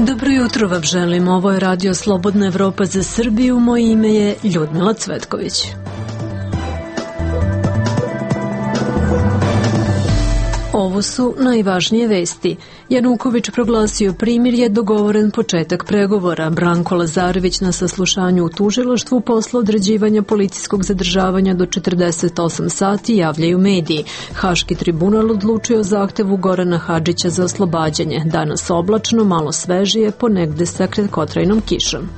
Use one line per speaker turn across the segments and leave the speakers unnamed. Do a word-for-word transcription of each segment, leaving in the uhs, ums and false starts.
Dobro jutro vam želim, ovo je Radio Slobodna Evropa za Srbiju, moje ime je Ljudmila Cvetković. Ovo su najvažnije vesti. Januković proglasio primirje, dogovoren početak pregovora. Branko Lazarević na saslušanju u tužilaštvu posle određivanja policijskog zadržavanja do četrdeset osam sati javljaju mediji. Haški tribunal odlučio o zahtevu Gorana Hadžića za oslobađanje. Danas oblačno, malo svežije, ponegde sa kratkotrajnom kišom.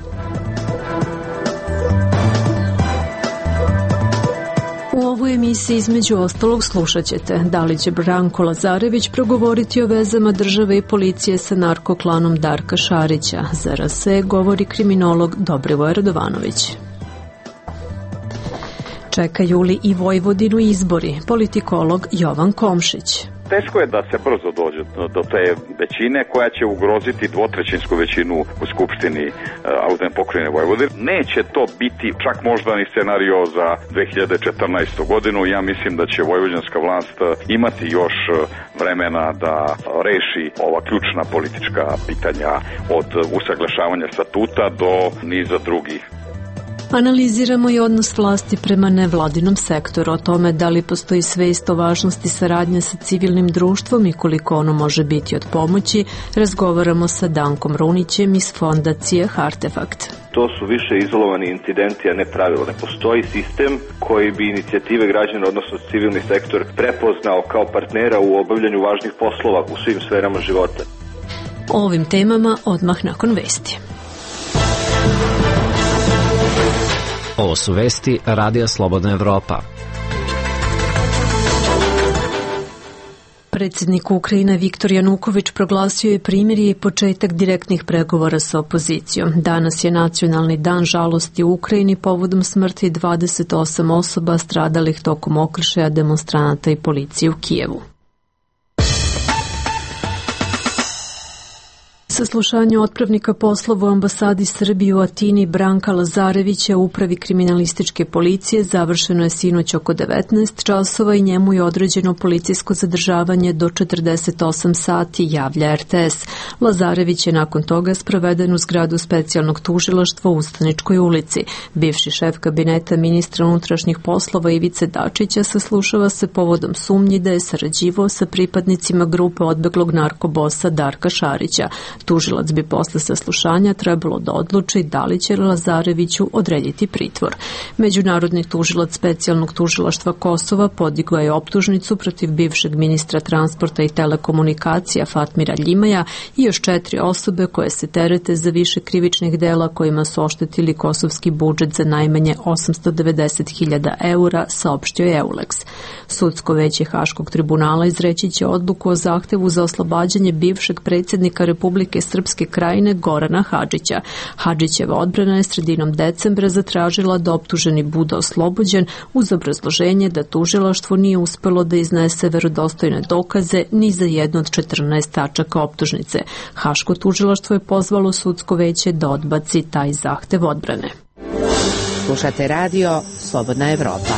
U ovoj emisiji između ostalog slušat ćete da li će Branko Lazarević progovoriti o vezama države i policije sa narkoklanom Darka Šarića. Za R S E govori kriminolog Dobrivoje Radovanović. Čekaju li i Vojvodinu izbori? Politikolog Jovan Komšić.
Teško je da se brzo dođe do te većine koja će ugroziti dvotrećinsku većinu u Skupštini autonomne pokrajine Vojvodine. Neće to biti čak možda ni scenario za dve hiljade četrnaestu godinu. Ja mislim da će vojvođanska vlast imati još vremena da reši ova ključna politička pitanja od usaglašavanja statuta do niza drugih.
Analiziramo i odnos vlasti prema nevladinom sektoru, o tome da li postoji svest o važnosti saradnje sa civilnim društvom i koliko ono može biti od pomoći, razgovaramo sa Dankom Runićem iz fondacije Artefakt.
To su više izolovani incidenti, a ne pravilo. Ne postoji sistem koji bi inicijative građana, odnosno civilni sektor, prepoznao kao partnera u obavljanju važnih poslova u svim sferama života.
O ovim temama odmah nakon vesti.
Ovo su vesti Radija Slobodna Evropa.
Predsjednik Ukrajine Viktor Januković proglasio je primirje i početak direktnih pregovora sa opozicijom. Danas je nacionalni dan žalosti u Ukrajini povodom smrti dvadeset osam osoba stradalih tokom okršaja demonstranata i policije u Kijevu. Saslušanje otpravnika poslova u ambasadi Srbije u Atini Branka Lazarevića u upravi kriminalističke policije završeno je sinoć oko devetnaest časova i njemu je određeno policijsko zadržavanje do četrdeset osam sati, javlja R T S. Lazarević je nakon toga sproveden u zgradu specijalnog tužilaštva u Ustaničkoj ulici. Bivši šef kabineta ministra unutrašnjih poslova Ivice Dačića saslušava se povodom sumnji da je sarađivao sa pripadnicima grupe odbeglog narkobosa Darka Šarića. Tužilac bi posle saslušanja trebalo da odluči da li će Lazareviću odrediti pritvor. Međunarodni tužilac specijalnog tužilaštva Kosova podigao je optužnicu protiv bivšeg ministra transporta i telekomunikacija Fatmira Ljimaja i još četiri osobe koje se terete za više krivičnih dela kojima su oštetili kosovski budžet za najmanje osamsto devedeset hiljada eura, saopštio je Eulex. Sudsko veće Haškog tribunala izreći će odluku o zahtevu za oslobađanje bivšeg predsjednika Republike Srpske Krajine Gorana Hadžića. Hadžićeva odbrana je sredinom decembra zatražila da optuženi bude oslobođen uz obrazloženje da tužilaštvo nije uspelo da iznese verodostojne dokaze ni za jednu od četrnaest tačaka optužnice. Haško tužilaštvo je pozvalo sudsko veće da odbaci taj zahtev odbrane.
Slušate radio Slobodna Evropa.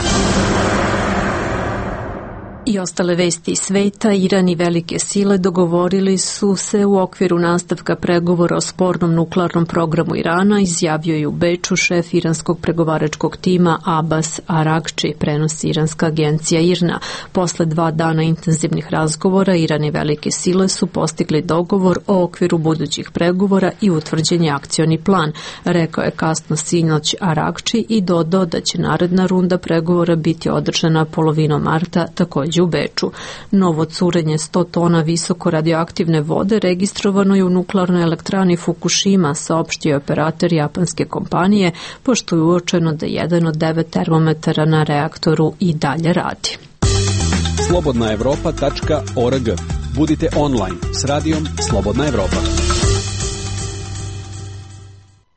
I ostale vesti iz sveta, Iran i velike sile dogovorili su se u okviru nastavka pregovora o spornom nuklearnom programu Irana, izjavio je u Beču šef iranskog pregovaračkog tima Abbas Arakči, prenosi iranska agencija I R N A. Posle dva dana intenzivnih razgovora, Iran i velike sile su postigli dogovor o okviru budućih pregovora i utvrđen je akcioni plan, rekao je kasno sinoć Arakči i dodao da će naredna runda pregovora biti održana polovinom marta, također u Beču. Novo curenje sto tona visoko radioaktivne vode registrovano je u nuklearnoj elektrani Fukushima, saopštio je operator japanske kompanije, pošto je uočeno da jedan od devet termometara na reaktoru i dalje radi.
slobodna evropa tačka org. Budite online s radijom Slobodna Evropa.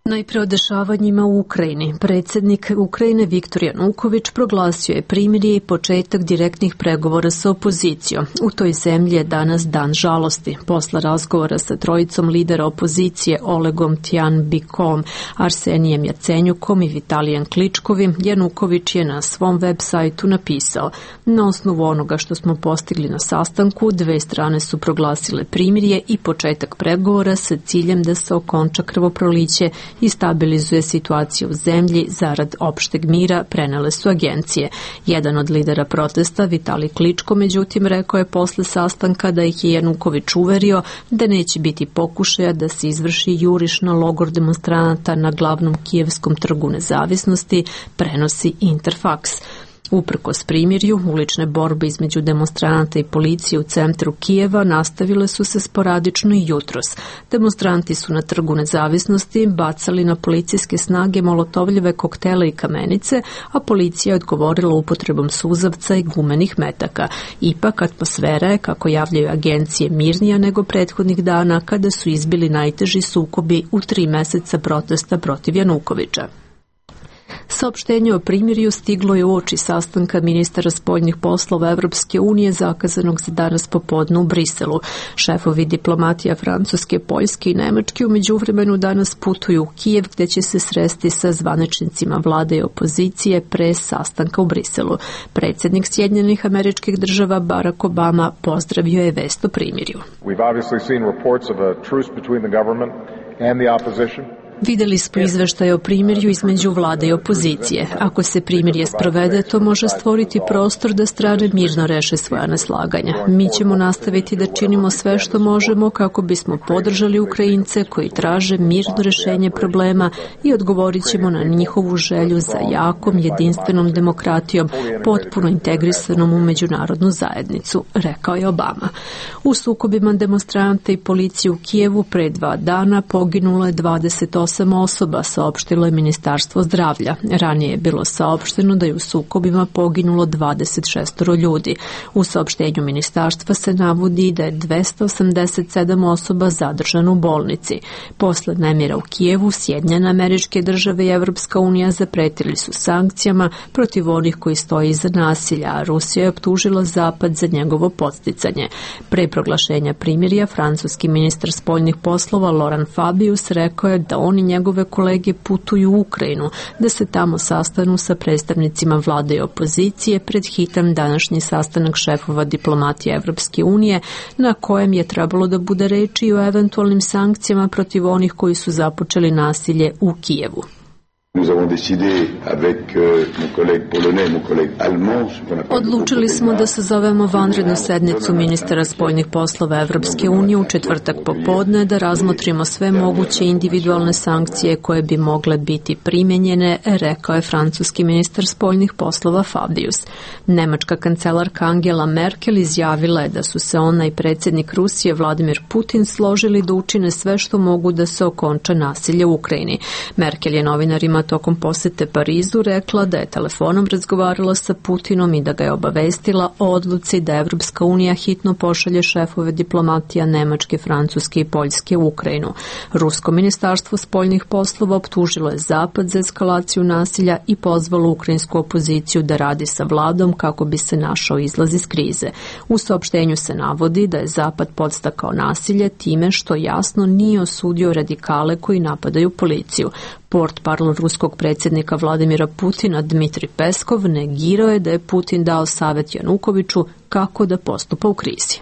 Najpre o dešavanjima u Ukrajini. Predsjednik Ukrajine Viktor Januković proglasio je primirje i početak direktnih pregovora sa opozicijom. U toj zemlji je danas dan žalosti. Posle razgovora sa trojicom lidera opozicije Olegom Tjanbikom, Arsenijem Jacenjukom i Vitalijem Kličkovim, Januković je na svom web sajtu napisao: na osnovu onoga što smo postigli na sastanku, dve strane su proglasile primirje i početak pregovora sa ciljem da se okonča krvoproliće i stabilizuje situaciju u zemlji zarad opšteg mira, prenele su agencije. Jedan od lidera protesta, Vitalij Kličko, međutim, rekao je posle sastanka da ih je Januković uverio da neće biti pokušaja da se izvrši juriš na logor demonstranata na glavnom kijevskom trgu nezavisnosti, prenosi Interfaks. Uprkos primirju, ulične borbe između demonstranata i policije u centru Kijeva nastavile su se sporadično i jutros. Demonstranti su na trgu nezavisnosti bacali na policijske snage molotovljive koktele i kamenice, a policija je odgovorila upotrebom suzavca i gumenih metaka. Ipak, atmosfera je, kako javljaju agencije, mirnija nego prethodnih dana kada su izbili najteži sukobi u tri meseca protesta protiv Janukovića. Saopštenje o primirju stiglo je uoči sastanka ministara spoljnih poslova Evropske unije zakazanog za danas popodne u Briselu. Šefovi diplomatija Francuske, Poljske i Nemačke u međuvremenu danas putuju u Kijev, gde će se sresti sa zvaničnicima vlade i opozicije pre sastanka u Briselu. Predsjednik Sjedinjenih Američkih Država Barack Obama pozdravio je vest o primirju.
We've obviously seen reports of a truce between the government and the opposition.
Videli smo izveštaje o primirju između vlade i opozicije. Ako se primirje sprovede, to može stvoriti prostor da strane mirno reše svoja neslaganja. Mi ćemo nastaviti da činimo sve što možemo kako bismo podržali Ukrajince koji traže mirno rešenje problema i odgovorit ćemo na njihovu želju za jakom, jedinstvenom demokratijom, potpuno integrisanom u međunarodnu zajednicu, rekao je Obama. U sukobima demonstranta i policije u Kijevu pre dva dana poginulo je dvadeset osam osoba, saopštilo je Ministarstvo zdravlja. Ranije je bilo saopšteno da je u sukobima poginulo dvadeset šest ljudi. U saopštenju ministarstva se navodi da je dvesta osamdeset sedam osoba zadržano u bolnici. Posle nemira u Kijevu, Sjedinjene Američke Države i Evropska unija zapretili su sankcijama protiv onih koji stoje iza nasilja, a Rusija je optužila Zapad za njegovo podsticanje. Pre proglašenja primirja, francuski ministar spoljnih poslova Laurent Fabius rekao je da on i njegove kolege putuju u Ukrajinu, da se tamo sastanu sa predstavnicima vlade i opozicije pred hitan današnji sastanak šefova diplomatije Evropske unije, na kojem je trebalo da bude reči o eventualnim sankcijama protiv onih koji su započeli nasilje u Kijevu. Odlučili smo da sazovemo vanrednu sednicu ministara spoljnih poslova Evropske unije u četvrtak popodne, da razmotrimo sve moguće individualne sankcije koje bi mogle biti primenjene, rekao je francuski ministar spoljnih poslova Fabius. Nemačka kancelarka Angela Merkel izjavila je da su se ona i predsjednik Rusije Vladimir Putin složili da učine sve što mogu da se okonča nasilje u Ukrajini. Merkel je novinarima tokom posete Parizu rekla da je telefonom razgovarala sa Putinom i da ga je obavestila o odluci da Evropska unija hitno pošalje šefove diplomatija Nemačke, Francuske i Poljske u Ukrajinu. Rusko ministarstvo spoljnih poslova optužilo je Zapad za eskalaciju nasilja i pozvalo ukrajinsku opoziciju da radi sa vladom kako bi se našao izlaz iz krize. U saopštenju se navodi da je Zapad podstakao nasilje time što jasno nije osudio radikale koji napadaju policiju. Portparol ruskog predsjednika Vladimira Putina Dmitri Peskov negirao je da je Putin dao savjet Janukoviću kako da postupa u krizi.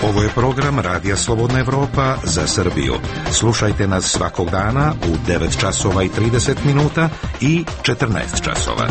Ovo je program Radija Slobodna Evropa za Srbiju. Slušajte nas svakog dana u devet časova i trideset minuta i četrnaest časova.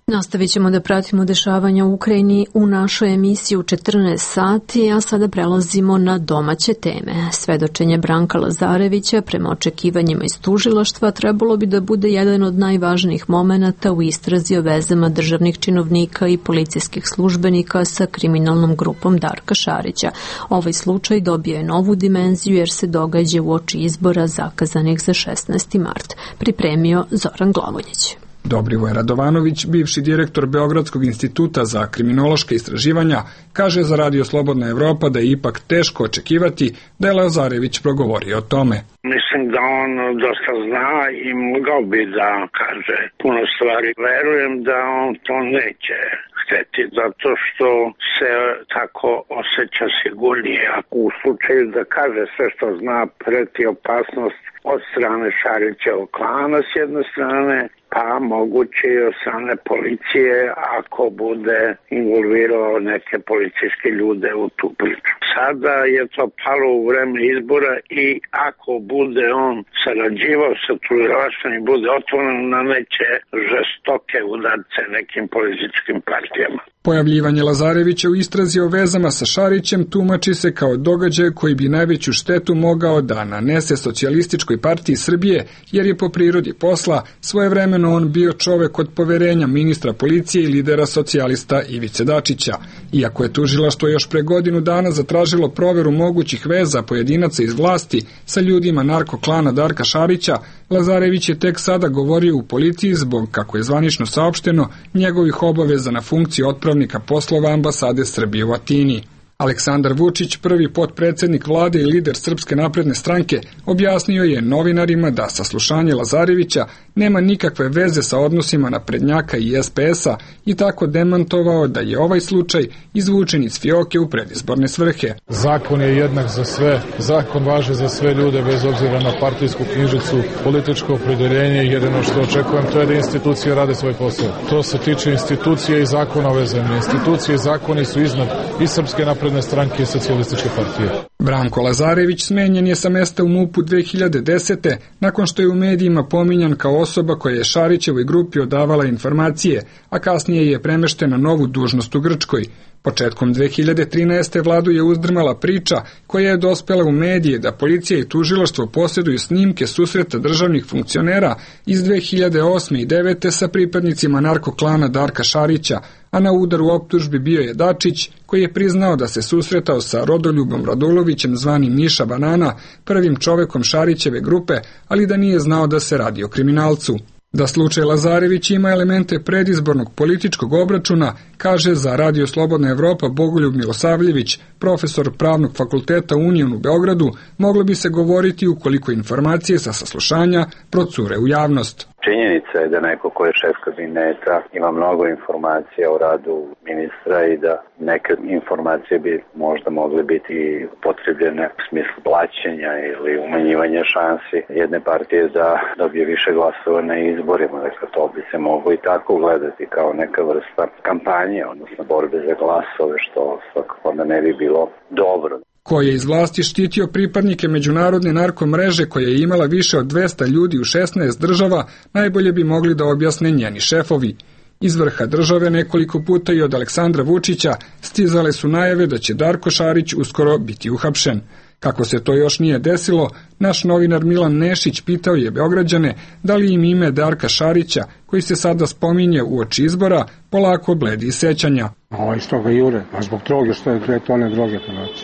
Nastavit ćemo da pratimo dešavanja u Ukrajini u našoj emisiji u četrnaest sati, a sada prelazimo na domaće teme. Svedočenje Branka Lazarevića, prema očekivanjima iz tužilaštva, trebalo bi da bude jedan od najvažnijih momenata u istrazi o vezama državnih činovnika i policijskih službenika sa kriminalnom grupom Darka Šarića. Ovaj slučaj dobio je novu dimenziju jer se događa uoči izbora zakazanih za šesnaesti mart. Pripremio Zoran Glavonjić.
Dobrivoje Radovanović, bivši direktor Beogradskog instituta za kriminološka istraživanja, kaže za Radio Slobodna Evropa da je ipak teško očekivati da je Lazarević progovorio o tome.
Mislim da on dosta zna i mogao bi da kaže puno stvari. Verujem da on to neće hteti, zato što se tako osjeća sigurnije. Ako u slučaju da kaže sve što zna, preti opasnost od strane Šarićevog klana s jedne strane, pa moguće i od strane policije ako bude involvirao neke policijske ljude u tu priču. Sada je to palo u vreme izbora i ako bude on sarađivao sa tužilaštvom i bude otvoren na neće žestoke udarce nekim političkim partijama.
Pojavljivanje Lazarevića u istrazi o vezama sa Šarićem tumači se kao događaj koji bi najveću štetu mogao da nanese Socijalističkoj partiji Srbije, jer je po prirodi posla svojevremeno on bio čovek od poverenja ministra policije i lidera socijalista Ivice Dačića. Iako je tužilaštvo još pre godinu dana zatražilo proveru mogućih veza pojedinaca iz vlasti sa ljudima narkoklana Darka Šarića, Lazarević je tek sada govorio u policiji zbog, kako je zvanično saopšteno, njegovih obaveza na funkciji otpravnika poslova ambasade Srbije u Atini. Aleksandar Vučić, prvi potpredsednik vlade i lider Srpske napredne stranke, objasnio je novinarima da saslušanje Lazarevića nema nikakve veze sa odnosima naprednjaka i es pe es-a i tako demantovao da je ovaj slučaj izvučen iz fioke u predizborne svrhe.
Zakon je jednak za sve, zakon važi za sve ljude bez obzira na partijsku knjižicu, političko opredeljenje i jedino što očekujem to je da institucije rade svoj posao. To se tiče institucije i zakona ove zemlje. Institucije i zakoni su iznad i Srpske napredne stranke i Socijalističke partije.
Branko Lazarević smenjen je sa mesta u MUP-u dve hiljade desete nakon što je u medijima pominjan kao osoba koja je Šarićevoj grupi odavala informacije, a kasnije je premešten na novu dužnost u Grčkoj. Početkom dve hiljade trinaeste. vladu je uzdrmala priča koja je dospela u medije da policija i tužilaštvo posjeduju snimke susreta državnih funkcionera iz dve hiljade osme. i devete. sa pripadnicima narkoklana Darka Šarića, a na udaru optužbi bio je Dačić, koji je priznao da se susretao sa Rodoljubom Radulovićem zvanim Miša Banana, prvim čovekom Šarićeve grupe, ali da nije znao da se radi o kriminalcu. Da slučaj Lazarević ima elemente predizbornog političkog obračuna, kaže za Radio Slobodna Evropa Bogoljub Milosavljević, profesor Pravnog fakulteta Union u Beogradu, moglo bi se govoriti ukoliko informacije sa saslušanja procure u javnost.
Činjenica je da neko ko je šef kabineta ima mnogo informacija o radu ministra i da neke informacije bi možda mogle biti potrebljene u smislu plaćanja ili umanjivanja šansi jedne partije da dobije više glasova na izborima. Dakle, to bi se moglo i tako gledati kao neka vrsta kampanje, odnosno borbe za glasove, što svakako onda ne bi bilo dobro.
Ko je iz vlasti štitio pripadnike međunarodne narkomreže koja je imala više od dvesta ljudi u šesnaest država, najbolje bi mogli da objasne njeni šefovi. Iz vrha države nekoliko puta i od Aleksandra Vučića stizale su najave da će Darko Šarić uskoro biti uhapšen. Kako se to još nije desilo, naš novinar Milan Nešić pitao je Beograđane da li im ime Darka Šarića, koji se sada spominje uoči izbora, polako bledi iz sećanja.
Ovo iz toga jure, a zbog droge, što je dve tone droge.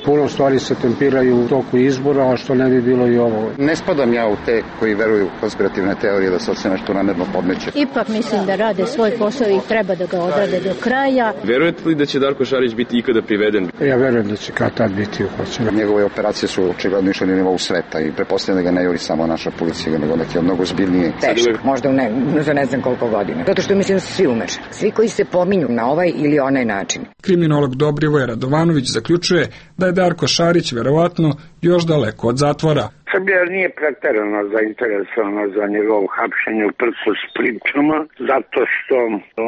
Puno stvari se tempiraju u toku izbora, a što ne bi bilo i ovo.
Ne spadam ja u te koji veruju u konspirativne teorije da se sve nešto namerno podmeće.
Ipak mislim da rade svoj posao i treba da ga odrade do kraja.
Verujete li da će Darko Šarić biti ikada priveden?
Ja verujem da će kad tad biti uhvaćen.
Njegove operacije su očigledno išle na nivou sveta i pretpostavljam da ga ne juri samo naša policija, nego neki mnogo zbiljniji.
Teško, možda ne, za ne znam koliko godina. Zato što mislim da su svi umešani. Svi koji se pominju na ovaj ili onaj način.
Kriminolog Dobrivoje Radovanović zaključuje da je Darko Šarić verovatno još daleko od zatvora.
Srbija nije preterano zainteresovana za njegovo hapšenje u prsu s pričama, zato što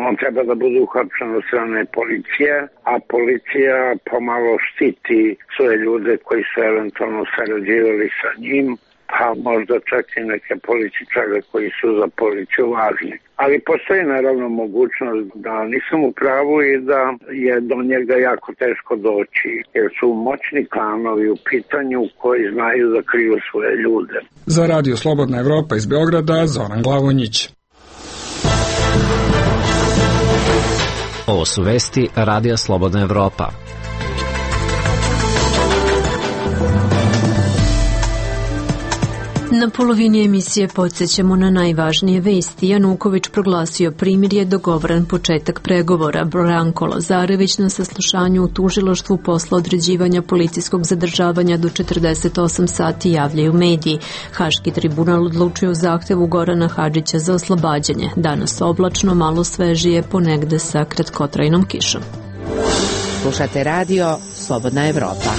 on treba da bude uhapšen od strane policije, a policija pomalo štiti svoje ljude koji su eventualno sarađivali sa njim, pa možda čak i neke političare koji su za policiju važni. Ali postoji naravno mogućnost da nisam u pravu i da je do njega jako teško doći, jer su moćni klanovi u pitanju koji znaju da kriju svoje ljude.
Za Radio Slobodna Evropa iz Beograda, Zoran Glavonjić.
Ovo su vesti Radija Slobodna Evropa.
Na polovini emisije podsjećamo na najvažnije vesti. Januković proglasio primirje, dogovoran početak pregovora. Branko Lazarević na saslušanju u tužilaštvu posle određivanja policijskog zadržavanja do četrdeset osam sati javljaju mediji. Haški tribunal odlučio o zahtevu Gorana Hadžića za oslobađanje. Danas oblačno, malo svežije, ponegde sa kratkotrajnom kišom.
Slušate radio Slobodna Evropa.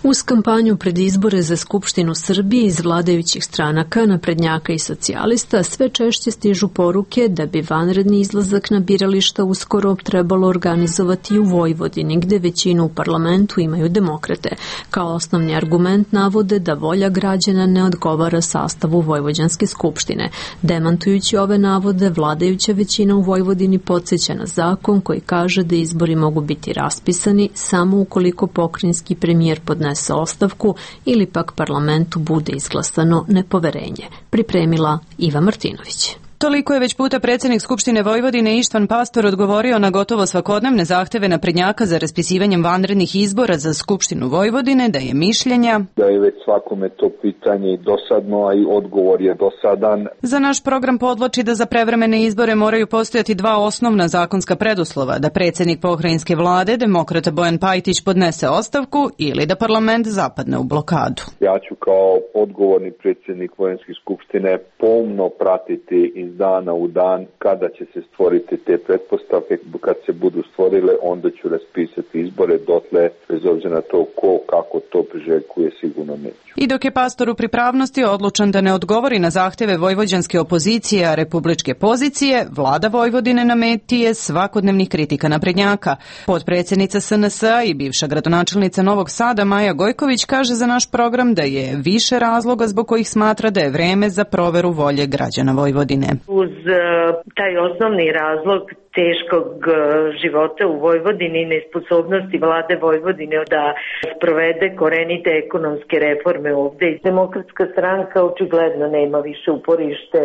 Uz kampanju pred izbore za Skupštinu Srbije iz vladajućih stranaka, naprednjaka i socijalista, sve češće stižu poruke da bi vanredni izlazak na birališta uskoro trebalo organizovati u Vojvodini, gde većinu u parlamentu imaju demokrate. Kao osnovni argument navode da volja građana ne odgovara sastavu Vojvođanske skupštine. Demantujući ove navode, vladajuća većina u Vojvodini podsjeća na zakon koji kaže da izbori mogu biti raspisani samo ukoliko pokrajinski premijer podnese ostavku ili pak parlamentu bude izglasano nepoverenje. Pripremila Iva Martinović.
Toliko je već puta predsjednik Skupštine Vojvodine Ištvan Pastor odgovorio na gotovo svakodnevne zahteve naprednjaka za raspisivanjem vanrednih izbora za Skupštinu Vojvodine da je mišljenja
da je već svakome to pitanje dosadno, a i odgovor je dosadan.
Za naš program podvlači da za prevremene izbore moraju postojati dva osnovna zakonska preduslova, da predsjednik pokrajinske vlade, demokrata Bojan Pajtić, podnese ostavku ili da parlament zapadne u blokadu.
Ja ću kao odgovorni predsjednik Vojvodinske skupštine pomno pratiti iz dana u dan kada će se stvoriti te pretpostavke. Kad se budu stvorile, onda ću raspisati izbore, dotle, bez obzira na to ko, kako to priželjkuje, sigurno neću.
I dok je Pastor u pripravnosti odlučan da ne odgovori na zahteve vojvođanske opozicije, a republičke pozicije, vlada Vojvodine na meti je svakodnevnih kritika naprednjaka. Potpredsjednica S N S-a i bivša gradonačelnica Novog Sada Maja Gojković kaže za naš program da je više razloga zbog kojih smatra da je vreme za proveru volje građana Vojvodine.
Uz taj osnovni razlog teškog života u Vojvodini i nesposobnosti vlade Vojvodine da sprovede korenite ekonomske reforme ovde, Demokratska stranka očigledno nema više uporište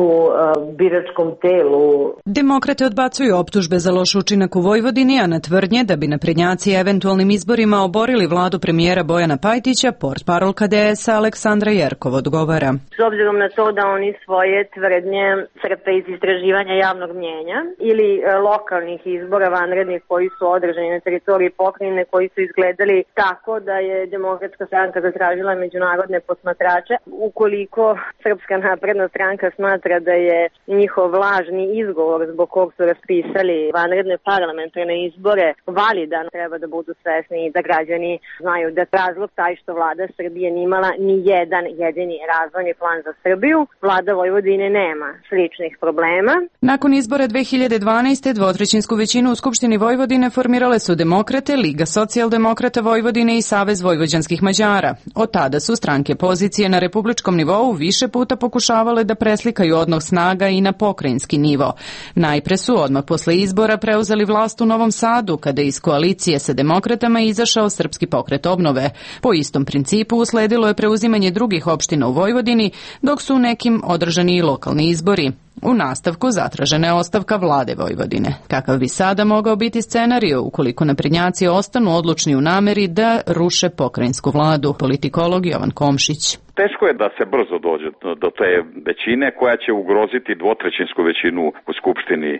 u uh, biračkom telu.
Demokrate odbacuju optužbe za loš učinak u Vojvodini, a na tvrdnje da bi naprednjaci eventualnim izborima oborili vladu premijera Bojana Pajtića, portparolka D S-a Aleksandra Jerkov odgovara.
S obzirom na to da oni svoje tvrdnje crpe iz istraživanja javnog mnjenja ili e, lokalnih izbora vanrednih koji su održani na teritoriji pokrajine, koji su izgledali tako da je Demokratska stranka zatražila međunarodne posmatrače. Ukoliko Srpska napredna stranka smatra da je njihov lažni izgovor zbog kog su raspisali vanredne parlamentarne izbore validan, treba da budu svesni i da građani znaju da razlog taj što vlada Srbije nije imala ni jedan jedini razvojni plan za Srbiju. Vlada Vojvodine nema sličnih problema.
Nakon izbora dve hiljade dvanaeste. dvotrećinsku većinu u Skupštini Vojvodine formirale su Demokrate, Liga socijaldemokrata Vojvodine i Savez vojvođanskih Mađara. Od tada su stranke pozicije na republičkom nivou više puta pokušavale da preslikaju odnos snaga i na pokrajinski nivo. Najpre su odmah posle izbora preuzeli vlast u Novom Sadu, kada iz koalicije sa demokratama izašao Srpski pokret obnove. Po istom principu usledilo je preuzimanje drugih opština u Vojvodini, dok su u nekim održani i lokalni izbori. U nastavku zatražena je ostavka vlade Vojvodine. Kakav bi sada mogao biti scenario ukoliko naprednjaci ostanu odlučni u nameri da ruše pokrajinsku vladu? Politikolog Jovan Komšić.
Teško je da se brzo dođe do te većine koja će ugroziti dvotrećinsku većinu u Skupštini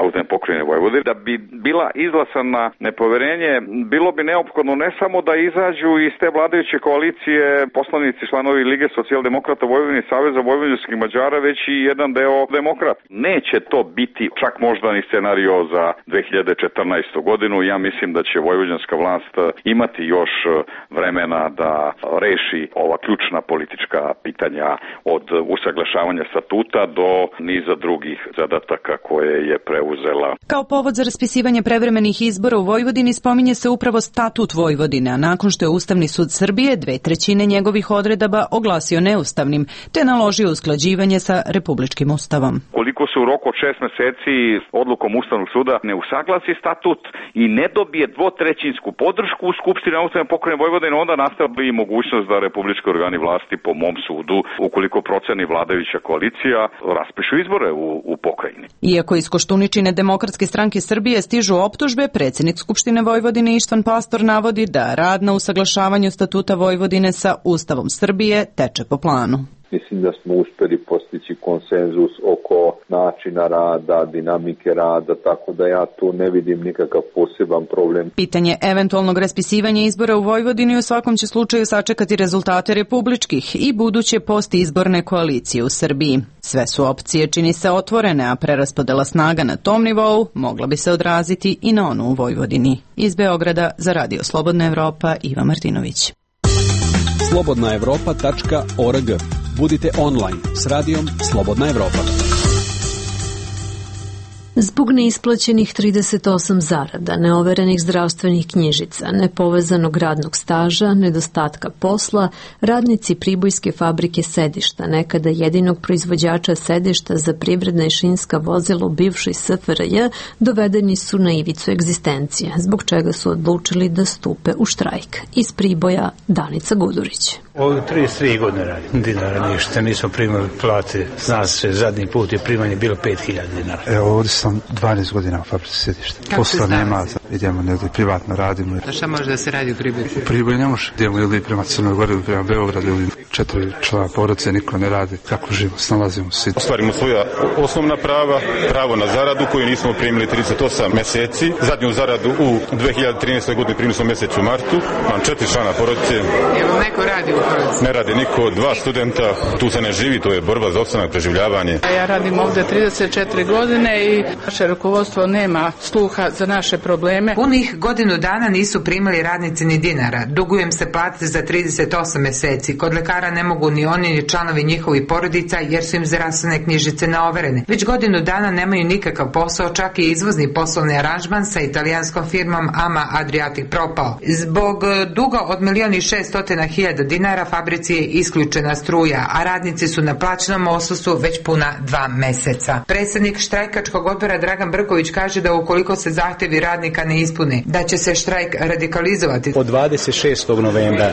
autonomne pokrajine Vojvodine. Da bi bila izglasana nepoverenje, bilo bi neophodno ne samo da izađu iz te vladajuće koalicije poslanici članovi Lige socijaldemokrata Vojvodine i Saveza vojvođanskih Mađara, već i jedan deo demokrata. Neće to biti čak možda ni scenario za dve hiljade četrnaestu. godinu. Ja mislim da će vojvođanska vlast imati još vremena da reši ova ključna politička pitanja od usaglašavanja statuta do niza drugih zadataka koje je preuzela.
Kao povod za raspisivanje prevremenih izbora u Vojvodini spominje se upravo statut Vojvodine, a nakon što je Ustavni sud Srbije dve trećine njegovih odredaba oglasio neustavnim, te naložio usklađivanje sa republičkim ustavom.
Koliko se u roku od šest meseci odlukom Ustavnog suda ne usaglasi statut i ne dobije dvotrećinsku podršku u Skupštini autonomne pokrajine Vojvodine, onda nastaje i mogućnost da republički organi vlasti vlasti, po mom sudu, ukoliko proceni vladajuća koalicija, raspišu izbore u, u pokrajini.
Iako iz Koštuničine Demokratske stranke Srbije stižu optužbe, predsjednik Skupštine Vojvodine Ištvan Pastor navodi da rad na usaglašavanju statuta Vojvodine sa Ustavom Srbije teče po planu.
Mislim da smo uspjeli postići konsenzus oko načina rada, dinamike rada, tako da ja tu ne vidim nikakav poseban problem.
Pitanje eventualnog raspisivanja izbora u Vojvodini u svakom će slučaju sačekati rezultate republičkih i buduće postizborne koalicije u Srbiji. Sve su opcije, čini se, otvorene, a preraspodela snaga na tom nivou mogla bi se odraziti i na onu u Vojvodini. Iz Beograda za Radio Slobodna Evropa, Iva Martinović.
slobodna evropa tačka org. Budite online s radijom Slobodna Evropa.
Zbog neisplaćenih trideset osam zarada, neoverenih zdravstvenih knjižica, nepovezanog radnog staža, nedostatka posla, radnici Pribojske fabrike sedišta, nekada jedinog proizvođača sedišta za privredna i šinska vozila u bivšoj S F R J, dovedeni su na ivicu egzistencije, zbog čega su odlučili da stupe u štrajk. Iz Priboja, Danica Gudurić.
Ovo trideset tri godine radim, dinara ništa, nismo primali plate, zna se, zadnji put je primanje bilo pet hiljada dinara.
Evo, ovdje sam dvanaest godina u fabrici sedišta. Posla nema, idemo negdje privatno radimo.
A šta može da se radi u Priboju?
U Priboju ne može, idemo ili prema Crnoj Gori ili prema Beogradu ili četiri člana porodice, niko ne radi, kako živimo, snalazimo se.
Ostvarimo svoja osnovna prava, pravo na zaradu koju nismo primili trideset osam meseci, zadnju zaradu u dve hiljade trinaestoj godini primili smo mjesec u martu, imam četiri člana porodice.
Je vam neko radi u porodici?
Ne radi niko, dva studenta, tu se ne živi, to je borba za opstanak, preživljavanje.
Ja radim ovdje trideset četiri godine i naše rukovodstvo nema sluha za naše probleme.
Punih godinu dana nisu primali radnici ni dinara. Dugujem se plate za trideset osam meseci. Kod lekara ne mogu ni oni ni članovi njihovih porodica jer su im zdravstvene knjižice neoverene. Već godinu dana nemaju nikakav posao, čak i izvozni poslovni aranžman sa italijanskom firmom Ama Adriatic propao. Zbog duga od milion i šeststotina hiljada dinara fabrici je isključena struja, a radnici su na plaćenom odsustvu već puna dva meseca. Predsjednik štrajkačkog odbora Dragan Brković kaže da ukoliko se zahtjevi radnika ne ispune, da će se štrajk radikalizovati.
Od dvadeset šestog novembra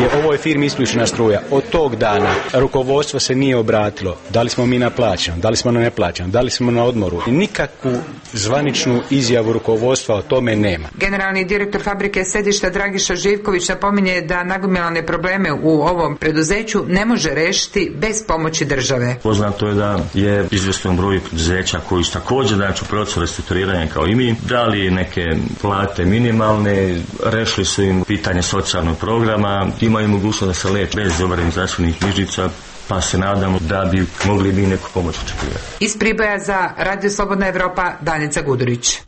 je ovoj firmi isključena struja. Od tog dana rukovodstvo se nije obratilo. Da li smo mi na plaćenom, da li smo na neplaćenom, da li smo na odmoru. Nikakvu zvaničnu izjavu rukovodstva o tome nema.
Generalni direktor fabrike sedišta Dragiša Živković napominje da nagomilane probleme u ovom preduzeću ne može rešiti bez pomoći države.
Poznato je da je izvjestan broj preduzeća koji su također znači u procesu restrukturiranja kao i mi, dali neke plate minimalne, rešili su im pitanje socijalnog programa, imaju mogućnost da se leče bez overenih zdravstvenih knjižica, pa se nadamo da bi mogli bi neku pomoć očekivati.
Iz Priboja za Radio Slobodna Evropa, Danica Gudurić.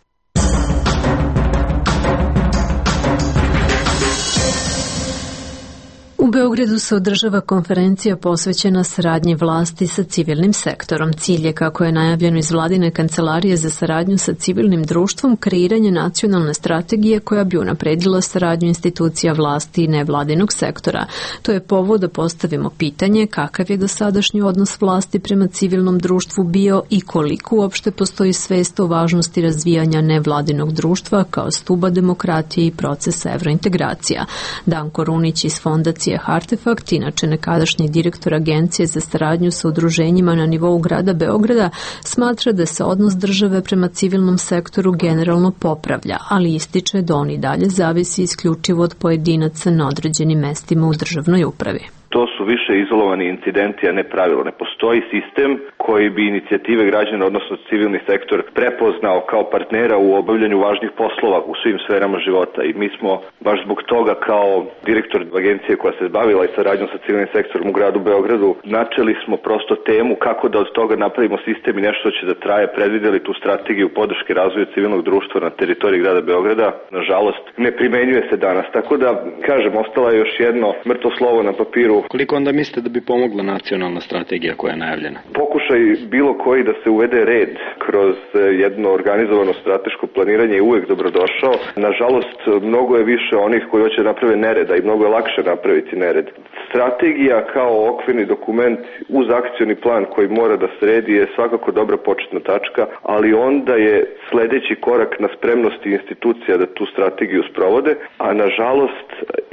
U Beogradu se održava konferencija posvećena saradnji vlasti sa civilnim sektorom. Cilj je, kako je najavljeno iz vladine kancelarije za saradnju sa civilnim društvom, kreiranje nacionalne strategije koja bi unapredila saradnju institucija vlasti i nevladinog sektora. To je povod da postavimo pitanje kakav je dosadašnji odnos vlasti prema civilnom društvu bio i koliko uopšte postoji svest o važnosti razvijanja nevladinog društva kao stuba demokratije i procesa evrointegracija. Danko Runić iz fondacije Artefakt, inače nekadašnji direktor Agencije za saradnju sa udruženjima na nivou grada Beograda, smatra da se odnos države prema civilnom sektoru generalno popravlja, ali ističe da on i dalje zavisi isključivo od pojedinaca na određenim mestima u državnoj upravi.
To su više izolovani incidenti, a ne pravilo. Ne postoji sistem koji bi inicijative građana, odnosno civilni sektor, prepoznao kao partnera u obavljanju važnih poslova u svim sferama života. I mi smo baš zbog toga kao direktor agencije koja se bavila i saradnjom sa civilnim sektorom u gradu Beogradu, načeli smo prosto temu kako da od toga napravimo sistem i nešto će da traje, predvideli tu strategiju podrške razvoju civilnog društva na teritoriji grada Beograda. Nažalost, ne primenjuje se danas. Tako da, kažem, ostala je još jedno mrtvo slovo na papiru.
Koliko onda mislite da bi pomogla nacionalna strategija koja je najavljena?
Pokušaj bilo koji da se uvede red kroz jedno organizovano strateško planiranje je uvek dobrodošao. Nažalost, mnogo je više onih koji hoće naprave nereda i mnogo je lakše napraviti nered. Strategija kao okvirni dokument uz akcioni plan koji mora da sredi je svakako dobra početna tačka, ali onda je sledeći korak na spremnosti institucija da tu strategiju sprovode, a nažalost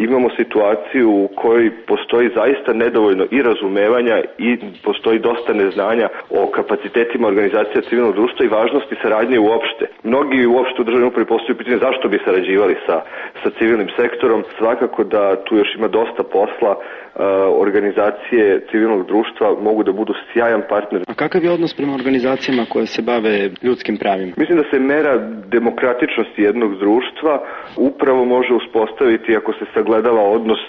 imamo situaciju u kojoj postoji zaista nedovoljno i razumevanja i postoji dosta neznanja o kapacitetima organizacija civilnog društva i važnosti saradnje uopšte. Mnogi uopšte u državnoj upravi postavljaju pitanje zašto bi sarađivali sa, sa civilnim sektorom. Svakako da tu još ima dosta posla. Organizacije civilnog društva mogu da budu sjajan partner.
A kakav je odnos prema organizacijama koje se bave ljudskim pravima?
Mislim da se mera demokratičnosti jednog društva upravo može uspostaviti ako se sagledava odnos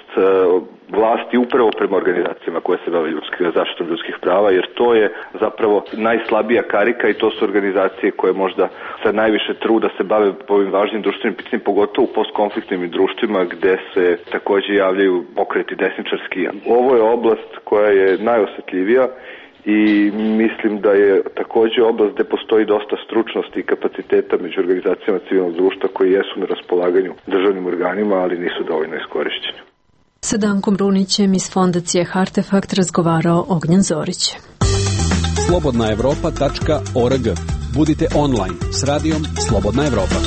vlasti upravo prema organizacijama koje se bave ljudskih, zaštitom ljudskih prava, jer to je zapravo najslabija karika i to su organizacije koje možda sa najviše truda se bave ovim važnim društvenim pitanjima, pogotovo u postkonfliktnim društvima gde se takođe javljaju pokreti desničarski. Ovo je oblast koja je najosetljivija i mislim da je takođe oblast gde postoji dosta stručnosti i kapaciteta među organizacijama civilnog društva koji jesu na raspolaganju državnim organima, ali nisu dovoljno iskorišćeni.
Sa Dankom Brunićem iz fondacije Hartefakt razgovarao Ognjen Zorić.
slobodna evropa tačka org. Budite online s radijom Slobodna Evropa.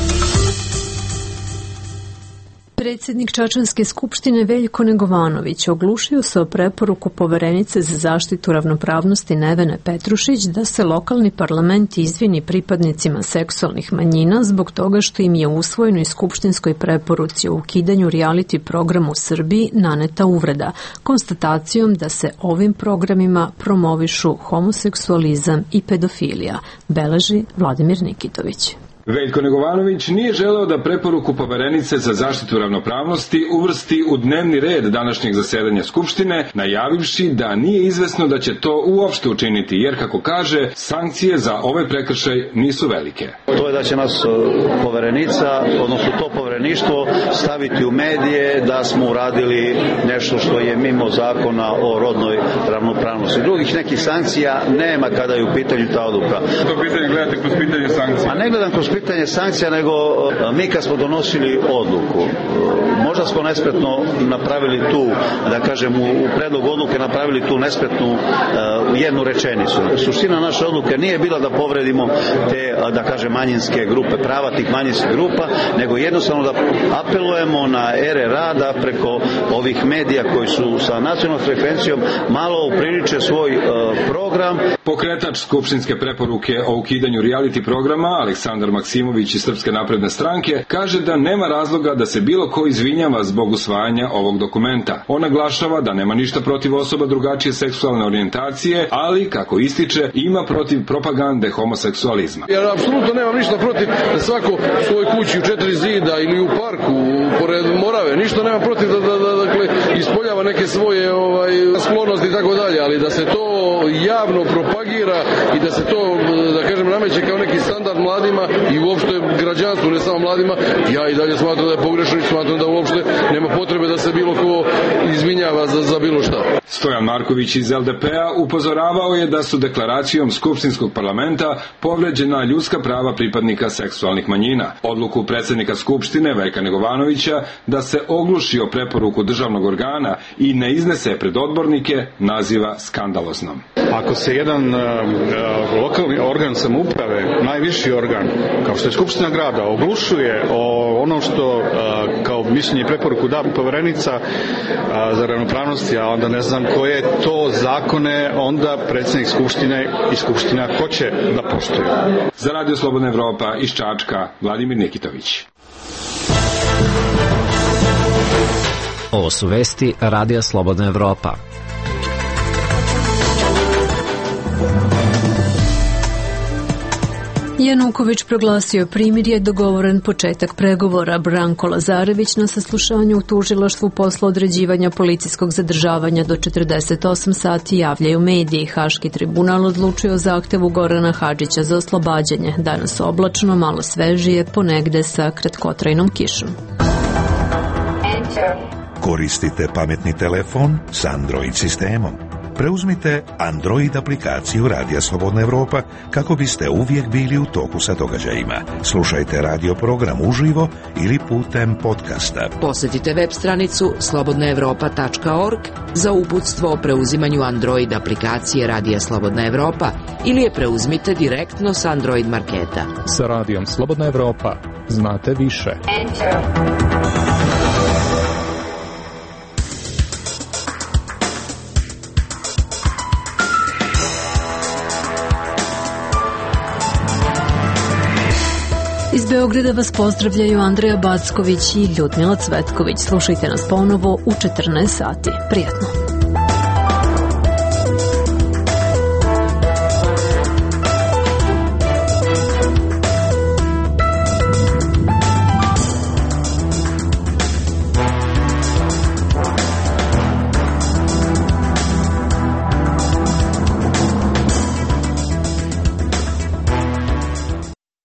Predsjednik Čačanske skupštine Veljko Negovanović oglušio se o preporuku Poverenice za zaštitu ravnopravnosti Nevene Petrušić da se lokalni parlament izvini pripadnicima seksualnih manjina zbog toga što im je usvojenoj skupštinskoj preporuci o ukidanju reality programa u Srbiji naneta uvreda, konstatacijom da se ovim programima promovišu homoseksualizam i pedofilija, beleži Vladimir Nikitović.
Veljko Negovanović nije želeo da preporuku Poverenice za zaštitu ravnopravnosti uvrsti u dnevni red današnjeg zasedanja Skupštine, najavivši da nije izvesno da će to uopšte učiniti, jer, kako kaže, sankcije za ovaj prekršaj nisu velike.
To je da će nas Poverenica, odnosno to Povereništvo, staviti u medije da smo uradili nešto što je mimo zakona o rodnoj ravnopravnosti. Drugih nekih sankcija nema kada je u pitanju ta odluka.
To pitanje gledate kroz pitanje sankcija?
A ne gledam kroz pitanje sankcija, nego mi kad smo donosili odluku, možda smo nespretno napravili tu, da kažem, u predlogu odluke napravili tu nespretnu uh, jednu rečenicu. Suština naše odluke nije bila da povredimo te, da kažem, manjinske grupe, prava tih manjinskih grupa, nego jednostavno da apelujemo na ere rada preko ovih medija koji su sa nacionalnom frekvencijom malo upriliče svoj uh, program.
Pokretač skupštinske preporuke o ukidanju reality programa, Aleksandar Maksimović iz Srpske napredne stranke, kaže da nema razloga da se bilo ko izvinjava zbog usvajanja ovog dokumenta. On naglašava da nema ništa protiv osoba drugačije seksualne orijentacije, ali, kako ističe, ima protiv propagande homoseksualizma.
Ja apsolutno nemam ništa protiv da svako u svojoj kući u četiri zida ili u parku, pored Morave, ništa nemam protiv da, da, da dakle, ispoljava neke svoje ovaj, sklonosti i tako dalje, ali da se to javno propagira i da se to, da kažem, nameće kao neki standard mladima i uopšte građanstvu, ne samo mladima, ja i dalje smatram da je pogrešno i smatram da uopšte nema potrebe da se bilo ko izvinjava za, za bilo šta.
Stojan Marković iz L D P-a upozoravao je da su deklaracijom Skupštinskog parlamenta povređena ljudska prava pripadnika seksualnih manjina. Odluku predsjednika Skupštine Veljka Negovanovića da se ogluši o preporuku državnog organa i ne iznese pred odbornike naziva skandaloznom.
Ako se jedan uh, lokalni organ samouprave, najviši organ, kao što je Skupština grada, oglušuje o ono što uh, kao mišljenje i preporuku da Poverenica uh, za ravnopravnost, a onda ne znam koje to zakone onda predsjednik Skupštine i Skupština hoće da poštuju.
Za Radio Slobodna Evropa iz Čačka, Vladimir Nikitović.
Ovo su vesti Radija Slobodna Evropa.
Januković proglasio primirje, dogovoren početak pregovora. Branko Lazarević na saslušanju u tužilaštvu posle određivanja policijskog zadržavanja do četrdeset osam sati javljaju mediji. Haški tribunal odlučio o zahtevu Gorana Hadžića za oslobađanje. Danas oblačno, malo svežije, ponegde sa kratkotrajnom kišom.
Koristite pametni telefon s Android sistemom. Preuzmite Android aplikaciju Radija Slobodna Evropa kako biste uvijek bili u toku sa događajima. Slušajte radio program uživo ili putem podcasta.
Posjetite web stranicu slobodna evropa tačka org za uputstvo o preuzimanju Android aplikacije Radija Slobodna Evropa ili je preuzmite direktno s Android marketa.
Sa Radijom Slobodna Evropa znate više. Enter.
Iz Beograda vas pozdravljaju Andreja Backović i Ljudmila Cvetković. Slušajte nas ponovo u četrnaest sati. Prijatno.